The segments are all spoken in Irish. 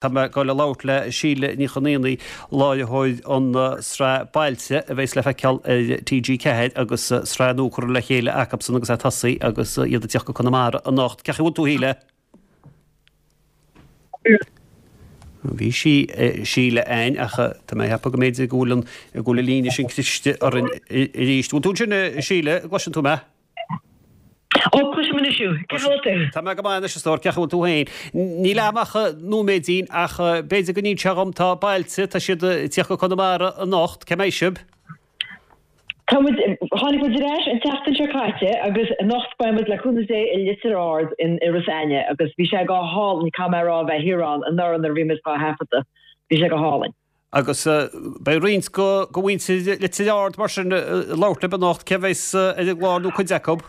Tá mé ag dul a labhairt le Síle Ní Chonaonaigh, láithreoir an sraith Bailte a bheas le feiceáil ar TG4 agus sraith nua curtha le chéile acubsan agus é tosaithe agus iad ag tíocht go Conamara anocht. Cén chaoi a bhfuil tú, a Shíle? Bhí sí, Síle a'ainn ach tá mé ag ceapadh go mb'fhéidir go bhfuil an, go bhfuil an líne sin cliste orainn arís. Bhfuil tú ansin, a Shíle, an gcloiseann tú mé? Ó, cloisim anois thú. Cén chaoi a bhfuil tú? Tá mé go maith anois, a stór. Cén chaoi a bhfuil tú féin? Níl a'm ach nóiméidín ach b'fhéidir go n-inseofá dhom, tá Bailte, tá siad ag tíocht go Conamara anocht, cá mbeidh sibh? Tá muid, tháinig muid ar ais an tseachtain seo caite agus anocht beidh muid le cúnamh Dé i Leitir Ard in Iorras Aithneach agus bhí sé go hálainn, caithfidh mé a rá, a bheith thiar ann anuraidh nuair a bhí muid dhá thaifeadadh. Bhí sé go hálainn. Agus beidh roinnt de mhuintir Leitir Ard mar sin ag labhairt libh anocht, cé a bheas ar an gclár nó cuid acu?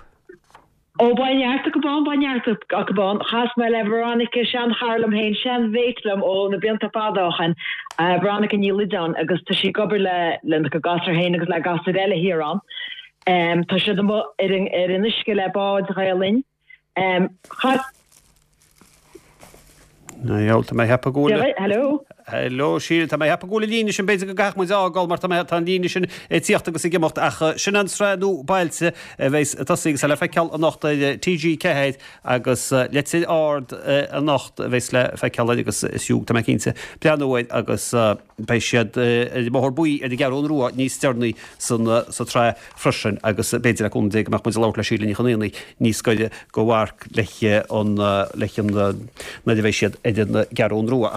Ó, beidh neart acu ann, beidh neart acu ann. Chas mé le Veronica, seanchara liom féin, seanmhéit liom ó na blianta fada ó shin, Veronica Ní Loideáin, agus tá sí ag obair le lena cuid gasúr féin agus le gasúir eile thiar ann. Tá siad amuigh ar an ar an uisce le bád Ghael Linn. Chas. Tá mé ag ceapadh go bhfuil. Hello. Hello, Síle, tá mé ag ceapadh go bhfuil an líne sin, b'fhéidir go gcaithfidh muid a fhágáil mar tá mé, tá an líne sin ag tíocht agus ag imeacht ach sin an tsraith nua Bailte a bheas ag tosaí agus é le feiceáil anocht ar TG4 agus Leitir Ard anocht a bheas le feiceáil air agus is fiú, tá mé cinnte, breathnú air agus beidh siad ar an mBóthar Buí ar an gCeathrú Rua níos deireanaí san sa tsraith. freisin agus b'fhéidir le cúnamh Dé go mbeadh muid ag labhairt le Síle Ní Chonaonaigh níos gaire go amharc leis an leis an nuair a bheidh siad ar an gCeathrú Rua.